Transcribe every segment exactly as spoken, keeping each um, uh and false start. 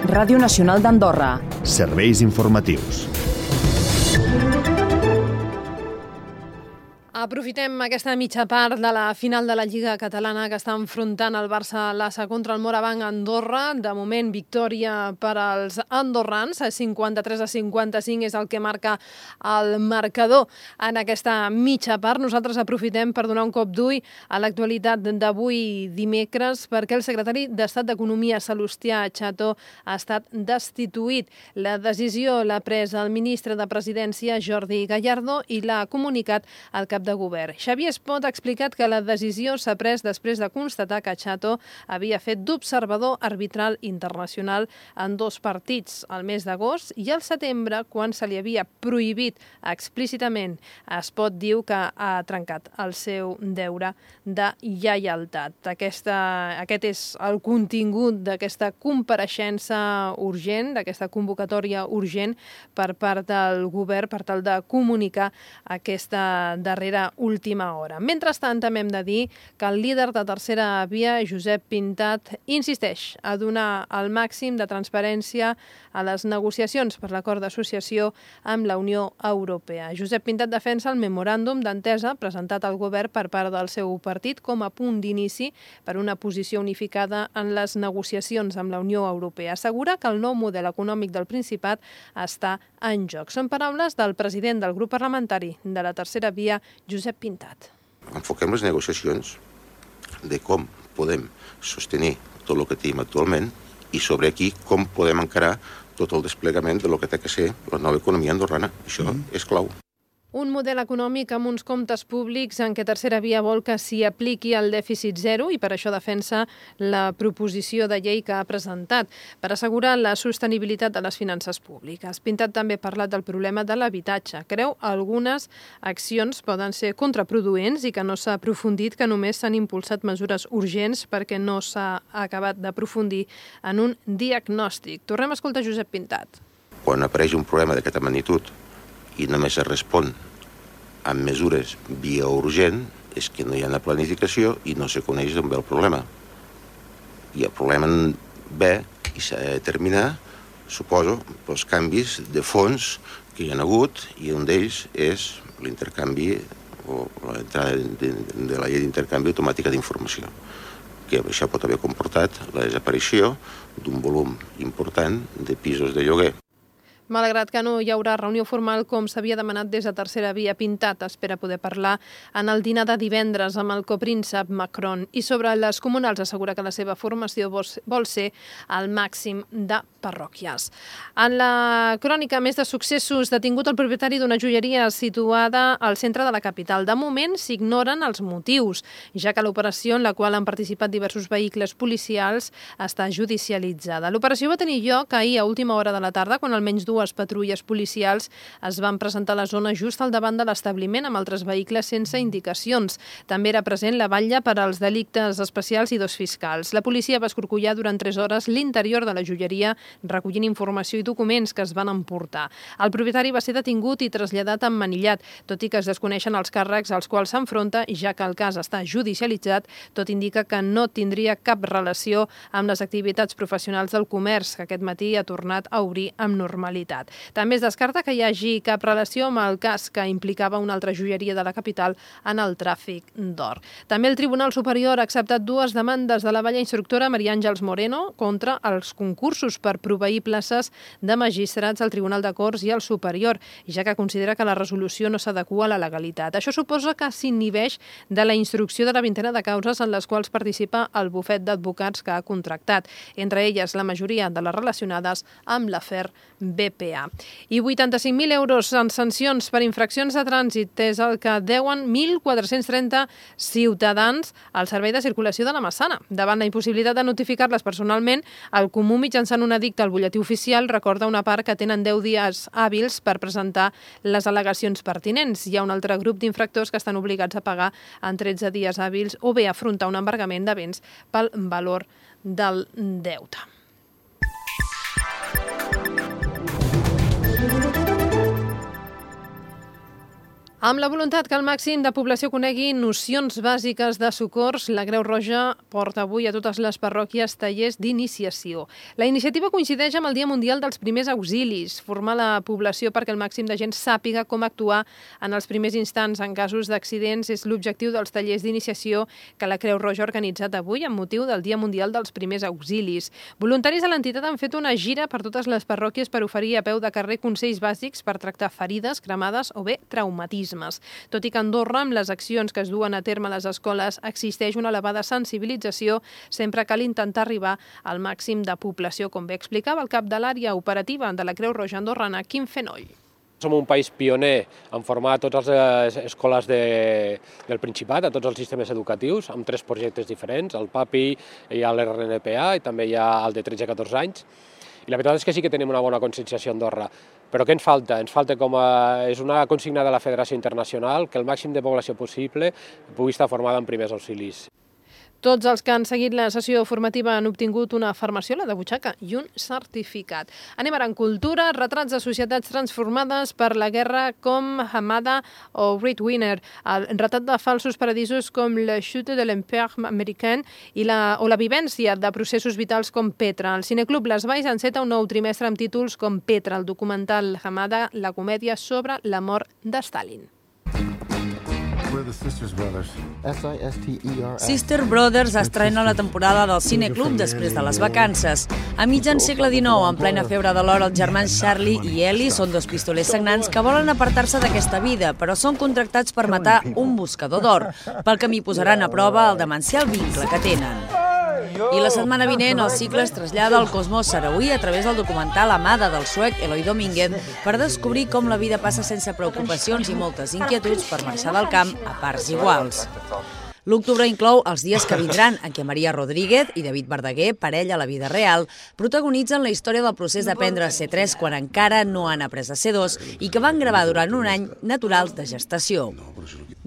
Ràdio Nacional d'Andorra. Serveis informatius. Aprofitem aquesta mitja part de la final de la Lliga Catalana que està enfrontant el Barça Lassa contra el Morabanc Andorra. De moment, victòria per als andorrans. cinquanta-tres a cinquanta-cinc és el que marca el marcador en aquesta mitja part. Nosaltres aprofitem per donar un cop d'ull a l'actualitat d'avui dimecres perquè el secretari d'Estat d'Economia, Salustià Chato, ha estat destituït. La decisió l'ha pres el ministre de Presidència, Jordi Gallardo, i l'ha comunicat al cap de govern. Xavier Espot ha explicat que la decisió s'ha pres després de constatar que Chato havia fet d'observador arbitral internacional en dos partits, al mes d'agost i al setembre, quan se li havia prohibit explícitament. Espot diu que ha trencat el seu deure de lleialtat. Aquesta, aquest és el contingut d'aquesta compareixença urgent, d'aquesta convocatòria urgent per part del govern per tal de comunicar aquesta darrera última hora. Mentrestant, també hem de dir que el líder de Tercera Via, Josep Pintat, insisteix a donar el màxim de transparència a les negociacions per l'acord d'associació amb la Unió Europea. Josep Pintat defensa el memoràndum d'entesa presentat al govern per part del seu partit com a punt d'inici per una posició unificada en les negociacions amb la Unió Europea. Assegura que el nou model econòmic del Principat està en joc. Són paraules del president del grup parlamentari de la Tercera Via, Josep Pintat. Enfoquem les negociacions de com podem sostenir tot el que tenim actualment i sobre aquí com podem encarar tot el desplegament de lo que té que ser la nova economia andorrana. Això mm. és clau. Un model econòmic amb uns comptes públics en què Tercera Via vol que s'hi apliqui el dèficit zero i per això defensa la proposició de llei que ha presentat per assegurar la sostenibilitat de les finances públiques. Pintat també ha parlat del problema de l'habitatge. Creu algunes accions poden ser contraproduents i que no s'ha aprofundit, que només s'han impulsat mesures urgents perquè no s'ha acabat d'aprofundir en un diagnòstic. Tornem a escoltar Josep Pintat. Quan apareix un problema d'aquesta magnitud i només es respon amb mesures via urgent, és que no hi ha una planificació i no se coneix d'on ve el problema. I el problema ve i s'ha de determinar, suposo, els canvis de fons que hi ha hagut i un d'ells és l'intercanvi o l'entrada de, de la llei d'intercanvi automàtica d'informació, que això pot haver comportat la desaparició d'un volum important de pisos de lloguer. Malgrat que no hi haurà reunió formal com s'havia demanat des de Tercera Via, Pintat espera poder parlar en el dinar de divendres amb el copríncep Macron. I sobre les comunals assegura que la seva formació vol ser al màxim de parròquies. En la crònica més de successos, detingut el propietari d'una joieria situada al centre de la capital. De moment s'ignoren els motius, ja que l'operació en la qual han participat diversos vehicles policials està judicialitzada. L'operació va tenir lloc ahir a última hora de la tarda, quan almenys dues Dues patrulles policials es van presentar a la zona just al davant de l'establiment amb altres vehicles sense indicacions. També era present la batlla per als delictes especials i dos fiscals. La policia va escorcollar durant tres hores l'interior de la joieria, recollint informació i documents que es van emportar. El propietari va ser detingut i traslladat a Manillat, tot i que es desconeixen els càrrecs als quals s'enfronta, i ja que el cas està judicialitzat, tot indica que no tindria cap relació amb les activitats professionals del comerç, que aquest matí ha tornat a obrir amb normalitat. També es descarta que hi hagi cap relació amb el cas que implicava una altra joieria de la capital en el tràfic d'or. També el Tribunal Superior ha acceptat dues demandes de la vella instructora Maria Àngels Moreno contra els concursos per proveir places de magistrats al Tribunal de Corts i al Superior, ja que considera que la resolució no s'adequa a la legalitat. Això suposa que s'inhibeix de la instrucció de la vintena de causes en les quals participa el bufet d'advocats que ha contractat, entre elles la majoria de les relacionades amb l'afer B P A. I vuitanta-cinc mil euros en sancions per infraccions de trànsit és el que deuen mil quatre-cents trenta ciutadans al Servei de Circulació de la Massana. Davant la impossibilitat de notificar-les personalment, el Comú, mitjançant un edicte al butlletí oficial, recorda una part que tenen deu dies hàbils per presentar les al·legacions pertinents. Hi ha un altre grup d'infractors que estan obligats a pagar en tretze dies hàbils o bé afrontar un embargament de béns pel valor del deute. Amb la voluntat que el màxim de població conegui nocions bàsiques de socors, la Creu Roja porta avui a totes les parròquies tallers d'iniciació. La iniciativa coincideix amb el Dia Mundial dels Primers Auxilis, formar la població perquè el màxim de gent sàpiga com actuar en els primers instants en casos d'accidents és l'objectiu dels tallers d'iniciació que la Creu Roja ha organitzat avui amb motiu del Dia Mundial dels Primers Auxilis. Voluntaris de l'entitat han fet una gira per totes les parròquies per oferir a peu de carrer consells bàsics per tractar ferides, cremades o bé traumatismes. Tot i que a Andorra, amb les accions que es duen a terme a les escoles, existeix una elevada sensibilització, sempre cal intentar arribar al màxim de població, com bé explicava el cap de l'àrea operativa de la Creu Roja andorrana, Quim Fenoll. Som un país pioner en formar totes les escoles de, del Principat, a tots els sistemes educatius, amb tres projectes diferents, el PAPI, hi ha l'R N P A i també hi ha el de tretze a catorze anys. I la veritat és que sí que tenim una bona conscienciació a Andorra. Però què ens falta? Ens falta, com a, és una consigna de la Federació Internacional, que el màxim de població possible pugui estar formada en primers auxilis. Tots els que han seguit la sessió formativa han obtingut una farmaciola de butxaca i un certificat. Anem ara en cultura, retrats de societats transformades per la guerra com Hamada o Great Winner, el retrat de falsos paradisos com La Chute de l'Empire américain i la, o la vivència de processos vitals com Petra. El Cineclub Les Valls enceta un nou trimestre amb títols com Petra, el documental Hamada, la comèdia sobre la mort de Stalin. Sister Brothers estrena la temporada del Cineclub després de les vacances. A mitjan segle dinou, en plena febre de l'or, els germans Charlie i Ellie són dos pistolers sagnants que volen apartar-se d'aquesta vida, però són contractats per matar un buscador d'or. Pel camí posaran a prova el demencial vincle que tenen. I la setmana vinent el cicle es trasllada al cosmos sarauí a través del documental Amada del suec Eloi Domínguez per descobrir com la vida passa sense preocupacions i moltes inquietuds per marxar del camp a parts iguals. L'octubre inclou Els dies que vindran, en què Maria Rodríguez i David Verdaguer, parella a la vida real, protagonitzen la història del procés d'aprendre a ser tres quan encara no han après a ser dos i que van gravar durant un any naturals de gestació.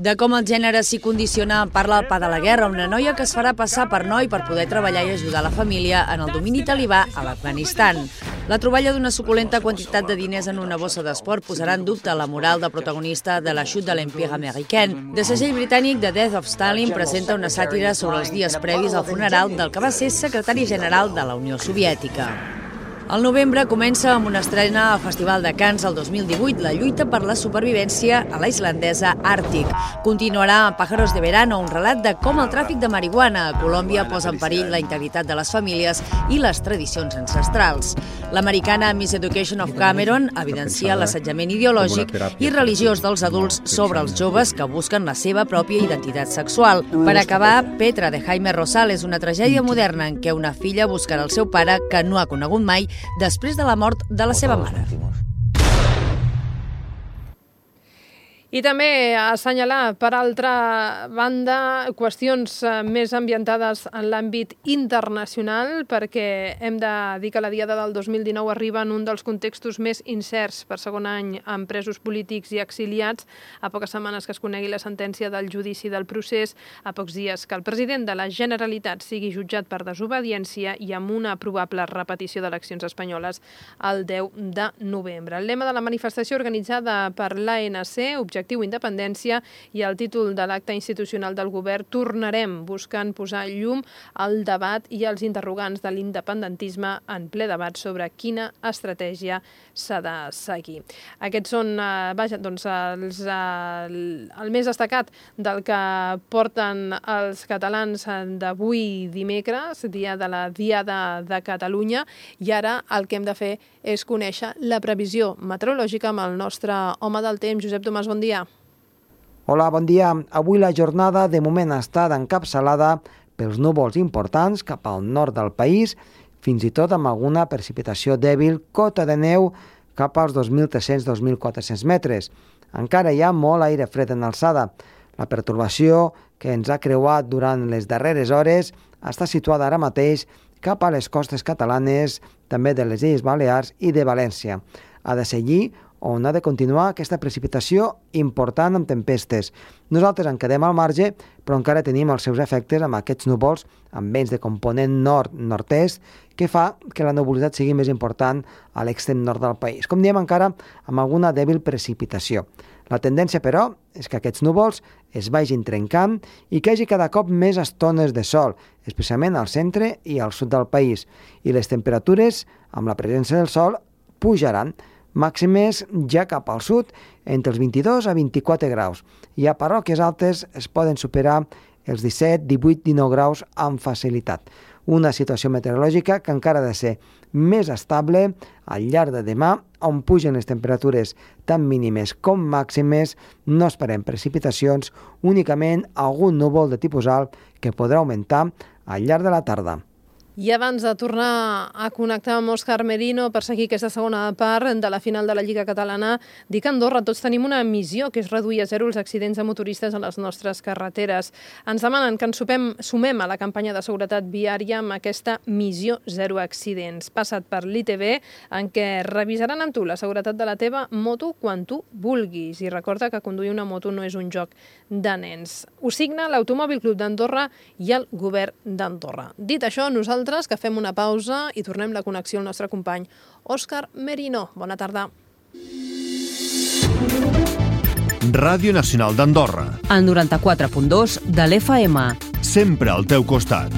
De com el gènere s'hi condiciona parla El pa de la guerra, una noia que es farà passar per noi per poder treballar i ajudar la família en el domini talibà a l'Afganistan. La troballa d'una suculenta quantitat de diners en una bossa d'esport posarà en dubte la moral de protagonista de La Chute de l'Empire américain. De segell britànic The Death of Stalin presenta una sàtira sobre els dies previs al funeral del que va ser secretari general de la Unió Soviètica. Al novembre comença amb una estrena al Festival de Cannes el dos mil divuit, la lluita per la supervivència a la islandesa Àrtic. Continuarà amb Pájaros de verano, un relat de com el tràfic de marihuana a Colòmbia posa en perill la integritat de les famílies i les tradicions ancestrals. L'americana Miss Education of Cameron evidencia l'assetjament ideològic i religiós dels adults sobre els joves que busquen la seva pròpia identitat sexual. Per acabar, Petra, de Jaime Rosales, una tragèdia moderna en què una filla buscarà el seu pare que no ha conegut mai després de la mort de la seva mare. I també assenyalar, per altra banda, qüestions més ambientades en l'àmbit internacional, perquè hem de dir que la Diada del dos mil dinou arriba en un dels contextos més incerts per segon any amb presos polítics i exiliats, a poques setmanes que es conegui la sentència del judici del procés, a pocs dies que el president de la Generalitat sigui jutjat per desobediència i amb una probable repetició d'eleccions espanyoles el deu de novembre. El lema de la manifestació organitzada per l'A N C, Objectiu Independència, i el títol de l'acte institucional del govern, Tornarem, buscant posar llum al debat i als interrogants de l'independentisme en ple debat sobre quina estratègia s'ha de seguir. Aquests són eh, vaja, doncs, els, eh, el més destacat del que porten els catalans d'avui dimecres, dia de la Diada de Catalunya, i ara el que hem de fer és conèixer la previsió meteorològica amb el nostre home del temps. Josep Tomàs, bon dia. Hola, bon dia. Avui la jornada de moment ha estat encapçalada pels núvols importants cap al nord del país, fins i tot amb alguna precipitació dèbil, cota de neu cap als dos mil tres-cents a dos mil quatre-cents metres. Encara hi ha molt aire fred en alçada. La pertorbació que ens ha creuat durant les darreres hores està situada ara mateix cap a les costes catalanes, també de les Illes Balears i de València. Ha de seguir on ha de continuar aquesta precipitació important amb tempestes. Nosaltres en quedem al marge, però encara tenim els seus efectes amb aquests núvols amb vents de component nord-nord-est, que fa que la nuvolositat sigui més important a l'extrem nord del país. Com diem, encara amb alguna dèbil precipitació. La tendència, però, és que aquests núvols es vagin trencant i que hi hagi cada cop més estones de sol, especialment al centre i al sud del país. I les temperatures, amb la presència del sol, pujaran, màximes ja cap al sud, entre els vint-i-dos a vint-i-quatre graus. I a parròquies altes es poden superar els disset, divuit, dinou graus amb facilitat. Una situació meteorològica que encara ha de ser més estable al llarg de demà, on pugen les temperatures tant mínimes com màximes. No esperem precipitacions, únicament algun núvol de tipus alt que podrà augmentar al llarg de la tarda. I abans de tornar a connectar amb Òscar Merino per seguir aquesta segona part de la final de la Lliga Catalana, dic que a Andorra tots tenim una missió, que és reduir a zero els accidents de motoristes a les nostres carreteres. Ens demanen que ens sumem, sumem a la campanya de seguretat viària amb aquesta missió zero accidents. Passa't per l'I T V, en què revisaran amb tu la seguretat de la teva moto quan tu vulguis. I recorda que conduir una moto no és un joc de nens. Ho signa l'Automòbil Club d'Andorra i el Govern d'Andorra. Dit això, nosaltres que fem una pausa i tornem la connexió al nostre company Òscar Merino. Bona tarda. Ràdio Nacional d'Andorra. El noranta-quatre punt dos de l'F M. Sempre al teu costat.